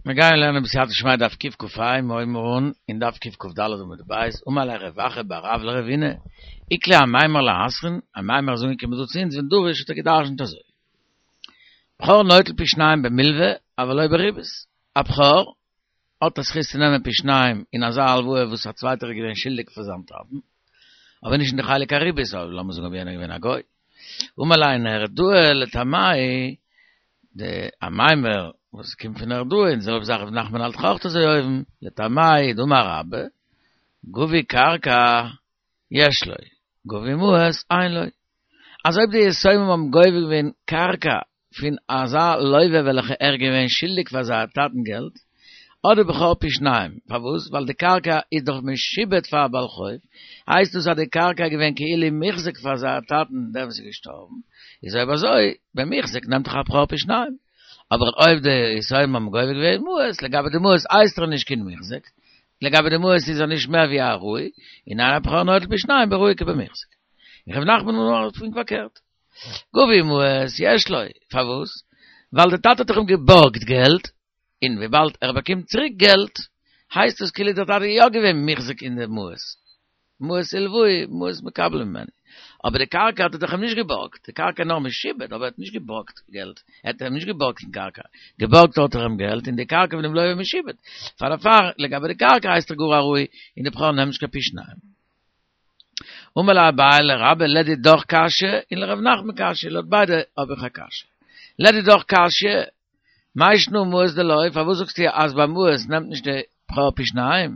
מיר גייען לערנען בסייעתא דשמיא דף קכ"ה, מיר הויבן אן אין דף קכ"ד עמוד ב', אמר ליה רב אחא בר רב לרבינא, איקלע אמימר לאתרין, אמימר איז אנגעקומען דא צו אונז ודרש האט ער געדרשנט אזוי, בכור נוטל פי שניים במלוה אבל לא בריבית, א בכור האט א זכות צו נעמען פי שניים אין אזא הלוואה וואס א צווייטער איז געווען שולדיג פאר זיין טאטן, אבער נישט אין די חלק הריבית, אויב לאמיר זאגן אויב יענער איז געווען א גוי. אמר ליה נהרדעא לטעמיה די אמימר וואס קומט פון נהרדעא און די זעלבע זאך רב נחמן האלט דאך אויך אזוי אויבן, לטעמיה דאמר רבה, גבו קרקע יש לו, גבו מעות אין לו. אז אויב די יתומים האבן גובה געווען קרקע פון אזא לווה וועלכע ער געווען שולדיג פאר זייער טאטן געלט, האט די בכור פי שניים, פארוואס? ווייל די קרקע איז דאך משועבד פאר א בעל חוב, הייסט דאס אז די קרקע איז געווען כאילו מוחזק פאר זייער טאטן דער וואס איז געשטארבן, איז אויב אזוי במוחזק נעמט דאך א בכור פי שניים, אבער אויב די יתומים האבן גובה געווען מעות, לגבי די מעות הייסט ער נישט קיין מוחזק, לגבי די מעות איז ער נישט מער ווי א עראי, און אין הבכור נוטל פי שניים בראוי כבמוחזק. און ר' נחמן האלט פונקט פארקערט. גבו מעות יש לו, פארוואס? ווייל די טאטע האט דאך אים געבארגט געלט, און וויבאלד ער באקומט צוריק געלט, הייסט עס כאילו דער טאטע איז יא געווען מוחזק אין די מעות, מעות הלוהו, מעות מקבלים ממנו. אבער די קרקע האט ער דאך אים נישט געבארגט, די קרקע איז נאר משועבד, אבער ער האט נישט געבארגט געלט, ער האט אים נישט געבארגט קיין קרקע, געבארגט האט ער אים געלט, און די קרקע פון דעם לוה איז משועבד. פאר דערפאר, לגבי די קרקע הייסט ער גאר א ראוי, און די בכור נעמט נישט קיין פי שניים. אמר ליה אביי לרבה לדידך קשיא און לרב נחמן קשיא, לויט ביידע האב איך א קשיא. לדידך קשיא, מאי שנא מעות דלא, פארוואס זאגסטו אז ביי מעות נעמט נישט די בכור פי שניים,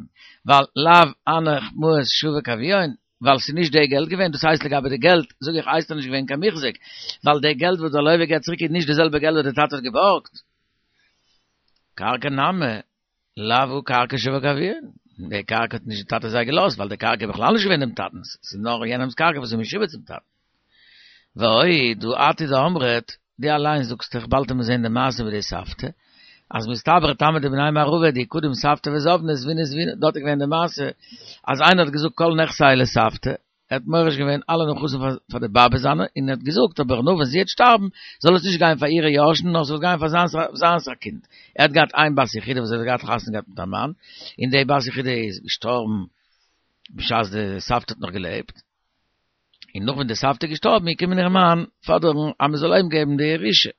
ווייל לאו הנך מעות שבק אבוהון, ווייל ס'איז נישט די געלט געווען, דאס הייסט לגבי די געלט זאג איך הייסט ער נישט געווען קיין מוחזק, ווייל די געלט וואס דער לוה געבט צוריק איז נישט די זעלבע געלט וואס די טאטע האט געבארגט. קרקע נמי, לאו הא קרקע שבק אבוהון, די קרקע האט נישט די טאטע זיי געלאזט, ווייל די קרקע איז בכלל נישט געווען דעם טאטנ'ס, ס'איז נאר יענעמ'ס קרקע וואס איז משועבד צום טאטן. ועוד, הא את הוא דאמרת, דו אליין זאגסט דאך, באלד וועט מען זען די מעשה מיט די סבתא, אז מסתברא טעמא דבני מערבא דאי קדים סבתא וזבנה זבינה זבינה, דארט איז געווען די מעשה אז איינער האט געזאגט כל נכסי לסבתא, ער האט מוריש געווען אלע נכסים פאר די באבע זיינע, און ער האט געזאגט אבער נאר ווען זי וועט שטארבן זאל עס נישט גיין פאר אירע יורשים נאר ס'זאל גיין פאר זיינס זיינס א קינד, ער האט געהאט איין בת יחידה וואס האט געהאט חתונה געהאט מיט א מאן, און די בת יחידה איז געשטארבן בשעת די סבתא האט נאך געלעבט, און נאך ווען די סבתא איז געשטארבן איז געקומען איר מאן פאדערן אז מען זאל אים געבן די ירושה,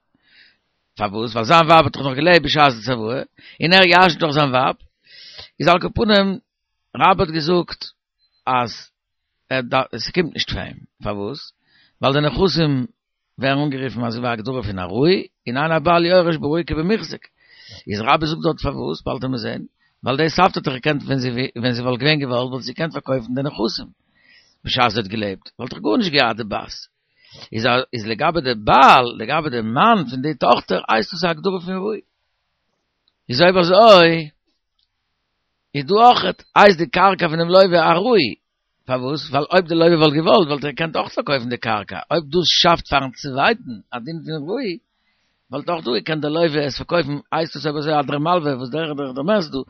פארוואס? ווייל זיין ווייב האט דאך נאך געלעבט בשעת די צוואה, און ער ירש'נט דאך זיין ווייב, איז על כל פנים רבה האט געזאגט אז עס קומט נישט פאר אים, פארוואס? ווייל די נכסים ווערן אנגערופן אזוי ווי א הגדרה פון עראי, און אין הבעל יורש בראוי כבמוחזק. איז רבה זאגט דארט פארוואס, באלד וועט מען זען, ווייל די סבתא האט דאך געקענט ווען זי ווען זי וואלט געווען געוואלט וואלט זי געקענט פארקויפן די נכסים בשעת זי האט געלעבט, וואלט דאך גארנישט געהאט די בת. איז איז לגבי די בעל, לגבי די מאן פון די טאכטער הייסט עס א הגדרה פון ראוי. איז אויב אזוי איז דא אויכעט הייסט די קרקע פונעם לוה עראי, פארוואס? ווייל אויב די לוה וואלט געוואלט וואלט ער געקענט אויך פארקויפן די קרקע, אויב דאס שאפט פארן צווייטן א דין פון ראוי, וואלט אויך דא געקענט די לוה עס פארקויפן, הייסט עס אויב אזוי אז דער מלווה וואס דער דער דער מערסט דא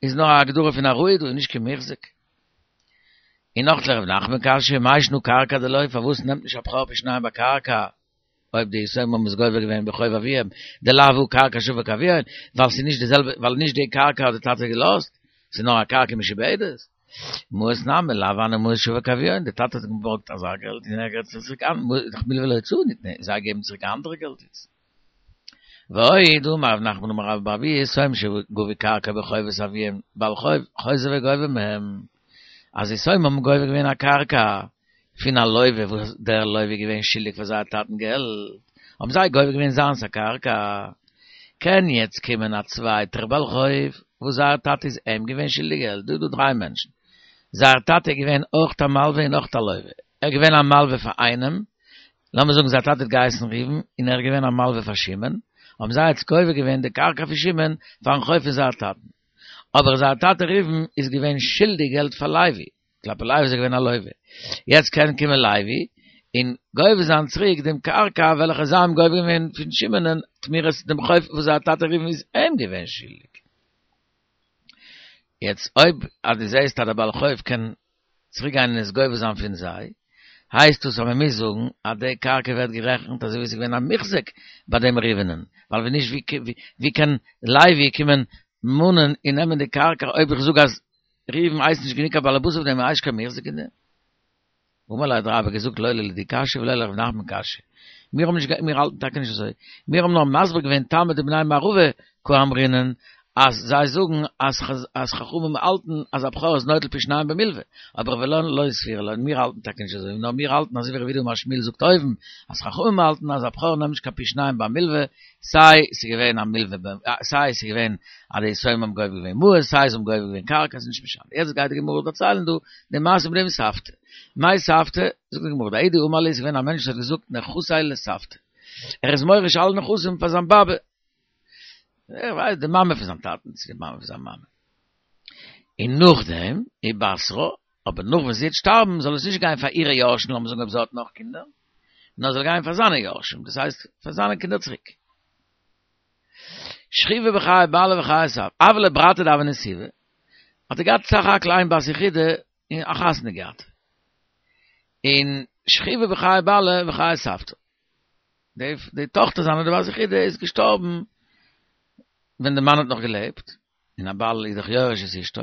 איז נאר א הגדרה פון עראי דא און נישט קיין מוחזק. און נאך לרב נחמן קשיא, מאי שנא קרקע דלא, פארוואס נעמט נישט א בכור פי שניים ביי קרקע? אויב די יתומים האבן עס גובה געווען בחוב אביהם, דלאו הא קרקע שבק אבוהון, ווייל ס'איז נישט די זעלבע, ווייל נישט די קרקע האט די טאטע געלאזט, ס'איז נאר א קרקע משועבדת. מעות נמי, לאו הני מעות שבק אבוהון, די טאטע האט געבארגט אזא געלט און ער געבט עס צוריק אן, דאך מלוה להוצאה ניתנה, זיי געבן צוריק א אנדערע געלט איצט. ועוד אמר רב נחמן אמר רבה בר אבוה יתומים שגבו קרקע בחובת אביהם, בעל חוב חוזר וגובה מהם, אז יתומים האבן גובה געווען א קרקע, פון א לוה וואס דער לוה איז געווען שולדיג פאר זייער טאטן געלט, האבן זיי גובה געווען זיינס א קרקע, קען יעצט קומען א צווייטער בעל חוב וואס זייער טאטע איז אים געווען שולדיג געלט, דא איז דא דריי מענטשן, זייער טאטע איז געווען אויך א מלווה און אויך א לוה, ער איז געווען א מלווה פאר איינעם, לאמיר זאגן זייער טאטע האט געהייסן ראובן און ער איז געווען א מלווה פאר שמעון, האבן זיי יעצט גובה געווען די קרקע פון שמעון פארן חוב פון זייער טאטן, אבער זייער טאטע ראובן איז געווען שולדיג געלט פאר לוי, כלפי לוי איז ער געווען א לוה. יעצט קען קומען לוי און גובה זיין צוריק דעם קרקע וועלכע זיי האבן גובה געווען פון שמעונ'ען תמורת דעם חוב וואס זייער טאטע ראובן איז אים געווען שולדיג. יעצט אויב אז דו זעסט אז דער בעל חוב קען צוריק גיין און עס גובה זיין פון זיי, הייסט דאס אז מען מוז זאגן אז די קרקע ווערט גערעכנט אזוי ווי עס איז געווען א מוחזק ביי דעם ראובנ'ען, ווייל ווען נישט ווי קען לוי קומען מאנען און נעמען די קרקע אויב איך זאג אז ראובן הייסט נישט גענוג א בעלעבאס אויף דעם און הייסט קיין מוחזק אין דעם? אמר ליה האט רבה געזאגט לא לדידי קשיא ולא לרב נחמן קשיא, מיר האבן נישט מיר האלטן טאקע נישט אזוי, מיר האבן נאר מסביר געווען טעמא דבני מערבא קאמרינן אז זיי זאגן אז חכמים האלטן אז א בכור איז נוטל פי שניים במלוה, אבער ולן לא סבירא לן, מיר האלטן טאקע נישט אזוי, נאר מיר האלטן אזוי ווי רב יהודה אמר שמואל זאגט אויבן, אז חכמים האלטן אז א בכור נעמט נישט קיין פי שניים ביי מלוה, סיי ס'איז געווען א מלוה סיי ס'איז געווען אז די יתומים האבן גובה געווען מעות, סיי זיי האבן גובה געווען קרקע, ס'איז נישט משנה. יעצט גייט די גמרא דערציילן דא די מעשה מיט דעם סבתא. מאי סבתא? זאגט די גמרא, דההוא דאמר להו, ס'איז געווען א מענטש וואס האט געזאגט נכסי לסבתא. ער איז מוריש אלע נכסים פאר זיין באבע. ער ווייסט די מאמע פון זיין טאטן צו די מאמע פון זיין מאמע. און נאכדעם, ובתרה, אבער נאך ווען זי וועט שטארבן זאל עס נישט גיין פאר אירע יורשים, לאמיר זאגן אויב זי האט נאך קינדער, נאר זאל גיין פאר זיינע יורשים, דאס הייסט פאר זיינע קינדער צוריק. שכיבא בחיי בעלה וחיי סבתא, הוה ליה ברתא דהוה נסיבא, האט ער געהאט סך הכל איין בת יחידה און א חתונה געהאט. און שכיבא בחיי בעלה וחיי סבתא. די די טאכטער זיינע די בת יחידה איז געשטארבן ווען די מאן האט נאך געלעבט, און א בעל איז דאך יורש את אשתו,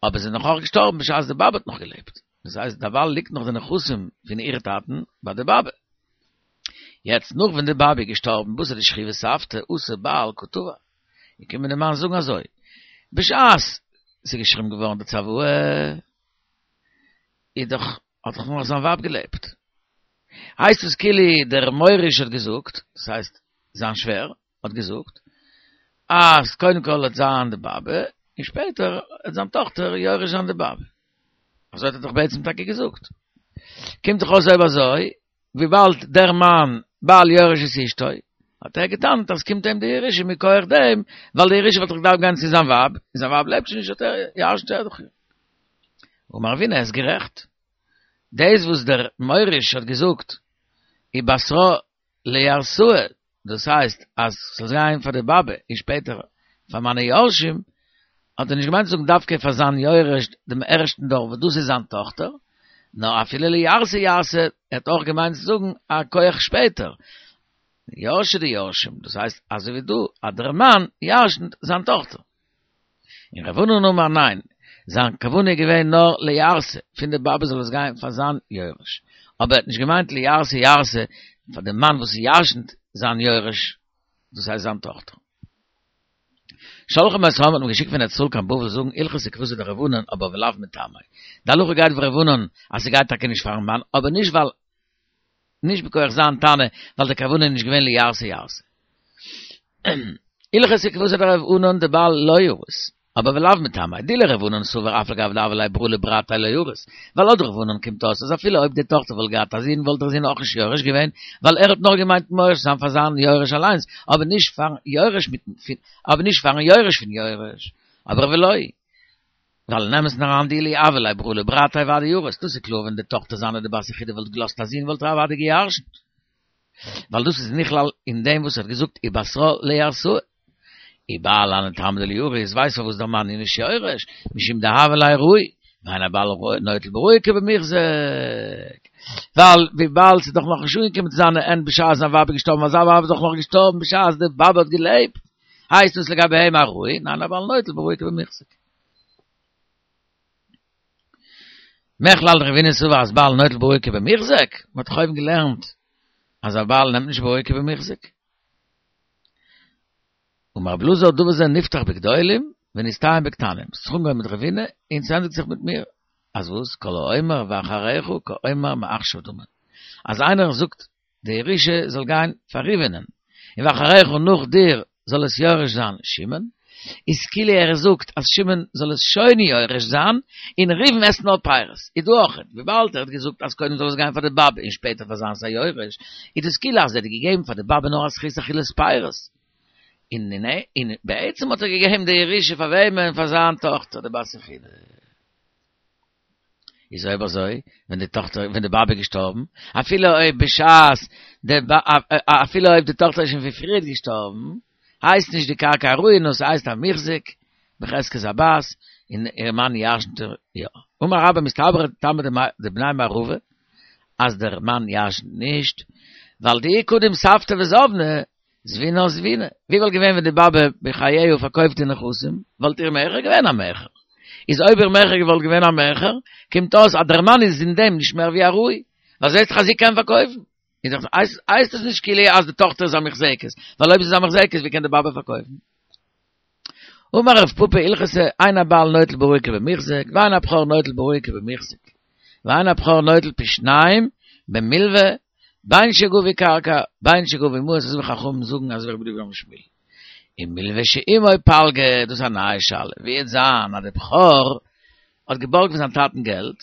אבער זי איז נאך אויך געשטארבן בשעת די באבע האט נאך געלעבט, דאס הייסט דערווייל ליגט נאך די נכסים פון איר טאטן ביי די באבע. יעצט נאך ווען די באבע איז געשטארבן בתר דשכיבא סבתא אתא בעל קא תבע, איז געקומען די מאן זאגן אזוי, בשעת ס'איז געשריבן געווארן די צוואה איז דאך האט דאך נאך זיין ווייב געלעבט. הייסט עס כאילו דער מוריש האט געזאגט, דאס הייסט זיין שווער האט געזאגט, אז קודם כל וועט זיין די באבע, און שפעטער וועט זיין טאכטער יורש זיין די באבע. אזוי האט ער דאך בעצם טאקע געזאגט. קומט דאך אויס אויב אזוי, וויבאלד דער מאן בעל יורש את אשתו, האט ער געטענה'ט אז קומט אים די ירושה מכח דעם, ווייל די ירושה וואלט דאך געדארפט גיין צו זיין ווייב, און זיין ווייב לעבט שוין נישט האט ער ירש'נט ער דאך איר. אמר רבינא איז גערעכט. דאס וואס דער מוריש האט געזאגט ובתרה לירתאי, דאס הייסט אז ס'זאל גיין פאר די באבע און שפעטער פאר מיינע יורשים, האט ער נישט געמיינט צו זאגן דווקא פאר זיין יורש דעם ערשטן דור וואס דאס איז זיין טאכטער, נאר אפילו לירתי ירתי, ער האט אויך געמיינט צו זאגן א כח שפעטער, יורשי דיורשים, דאס הייסט אזוי ווי דא אז דער מאן ירש'נט זיין טאכטער. און רב ענן אמר ניין, זיין כוונה איז געווען נאר לירתי, פון די באבע זאל עס גיין פאר זיין יורש, אבער ער האט נישט געמיינט לירתי ירתי פאר די מאן וואס ירש'נט זיין יורש, דאס הייסט זיין טאכטער. שלחו מאת העם האט מען געשיקט פון ארץ ישראל קיין בבל זאגן הלכתא כוותיה דרב ענן אבער ולאו מטעמיה. די הלכה גייט ווי רב ענן אז ס'גייט טאקע נישט פארן מאן אבער נישט ווייל נישט מכח זיין טענה ווייל די כוונה איז נישט געווען לירתי ירתי. הלכתא כוותיה דרב ענן דבעל לא ירית, אבער ולאו מטעמיה, דאי לרב ענן סבר אף על גב דהוה ליה ברא לברתיה לא ירית, ווייל לויט רב ענן קומט אויס אז אפילו אויב די טאכטער וואלט געהאט א זון וואלט דער זון אויך נישט יורש געווען, ווייל ער האט נאר געמיינט מוריש זיין פאר זיין יורש אליינס, אבער נישט פארן יורש מיטן אבער נישט פארן יורש פון יורש, אבער ולא. ווייל אין אמת'ן אריין דאילו הוה ליה ברא לברתיה ודאי ירית, דאס איז קלאר ווען די טאכטער זיינע די בת יחידה וואלט געלאזט א זון וואלט ער אוודאי געירשנט. ווייל דאס איז נכלל אין דעם וואס ער האט געזאגט ובתרה לירתאי. ובעל אני טעמא דלא ירית, ווייסט פארוואס דער מאן איז נישט יורש, משום דהוה ליה ראוי, ואין הבעל נוטל בראוי כבמוחזק. ווייל וויבאלד ס'איז דאך נאכנישט אנגעקומען צו זיינע הענט בשעת זיין ווייב איז געשטארבן ווייל זיין ווייב איז דאך נאך געשטארבן בשעת די באבע האט געלעבט, הייסט דאס לגבי אים א ראוי, אין הבעל נוטל בראוי כבמוחזק. מכלל דרבינא סבר אז בעל נוטל בראוי כבמוחזק, מ'האט דאך אויבן געלערנט אז א בעל נעמט נישט בראוי כבמוחזק. אמר רבי אלעזר דבר זה נפתח בגדולים ונסתיים בקטנים, ס'האט זיך אנגעהויבן מיט רבינא און ס'ענדיגט זיך מיט מיר, אז וואס כל האומר ואחריך כאומר מעכשיו דמי, אז איינער זאגט די ירושה זאל גיין פאר ראובנ'ען, און ואחריך נאך דיר זאל עס יורש זיין שמעון, איז כאילו ער זאגט אז שמעון זאל עס שוין יורש זיין, און ראובן עסט נאר פירות. איז דא אויך, וויבאלד ער האט געזאגט אז קודם זאל עס גיין פאר די באבע און שפעטער פאר זיינס א יורש, איז דאס כאילו אז ער האט געגעבן פאר די באבע נאר א זכות אכילת פירות, און און בעצם האט ער געגעבן די ירושה פאר וועמען? פאר זיין טאכטער די בת יחידה. איז אויב אזוי, ווען די טאכטער, ווען די באבע איז געשטארבן, אפילו אויב בשעת די אפילו אויב די טאכטער איז שוין פון פריערט געשטארבן, הייסט נישט די קרקע א ראוי, נאר ס'הייסט א מוחזק. בחזקת הבת, און איר מאן ירשנט איר יא. אמר רבה מסתברא טעמא דבני מערבא, אז דער מאן ירשנט נישט, ווייל דאי קדים סבתא וזבנה, זבינה זבינה. ווי וואלט געווען ווען די באבע בחייה פארקויפט די נכסים, וואלט איר מכר געווען א מכר. איז אויב איר מכר וואלט געווען א מכר, קומט אויס אז דער מאן איז אין דעם נישט מער ווי א ראוי, ווייל זעהט זיך אז זי קען פארקויפן. איז דאך הייסט עס נישט כאילו אז די טאכטער איז א מוחזקת, ווייל אויב זי איז א מוחזקת ווי קען די באבע פארקויפן? אמר רב פפא הלכתא אין הבעל נוטל בראוי כבמוחזק ואין הבכור נוטל בראוי כבמוחזק ואין הבכור נוטל פי שניים במלווה בין שגבו קרקע בין שגבו מעות אזוי ווי חכמים זאגן אזוי ווי רבי יהודה אמר שמואל ומלווה שעמו פלגא דאס איז א נייע שאלה ווי וועט זיין אז די בכור האט געבארגט פון זיין טאטן געלט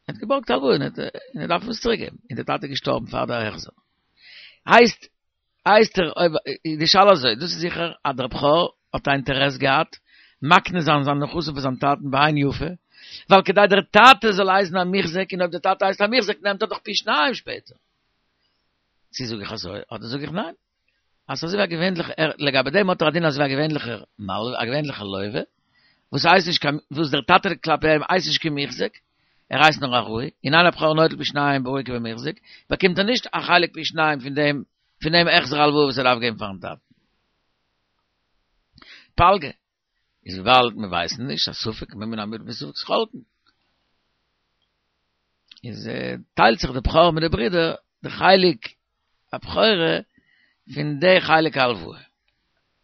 ער האט געבארגט הלוואה און ער דארף עס צוריק געבן און דער טאטע איז געשטארבן פאר דער החזר הייסט הייסט ער אויב די שאלה אזוי דאס איז זיכער אז דער בכור האט א אינטערעס געהאט מקנה זיין זיין נכסים פאר זיין טאטן בעין יפה ווייל כדי דער טאטע זאל הייסן א מוחזק און אויב דער טאטע הייסט א מוחזק נעמט ער דאך פי שניים שפעטער צו זאג איך אזוי אדער זאג איך ניין אז אזוי ווי א געווענליכער לגבי דעם האט ער א דין אזוי ווי א געווענליכער מלווה א געווענליכער לווה וואס הייסט נישט קיין וואס דער טאטע כלפי אים הייסט נישט קיין מוחזק ער הייסט נאר א ראוי, און אין הבכור נוטל פי שניים בראוי כבמוחזק, באקומט ער נישט א חלק פי שניים פון דעם פון דעם החזר הלוואה וואס ער דארף געבן פארן טאטן. פלגא, איז וויבאלד מיר ווייסן נישט, א ספק מומין המוטל בספק חולקין. איז טיילט זיך די בכור מיט די ברידער די חלק הבכורה פון די חלק ההלוואה.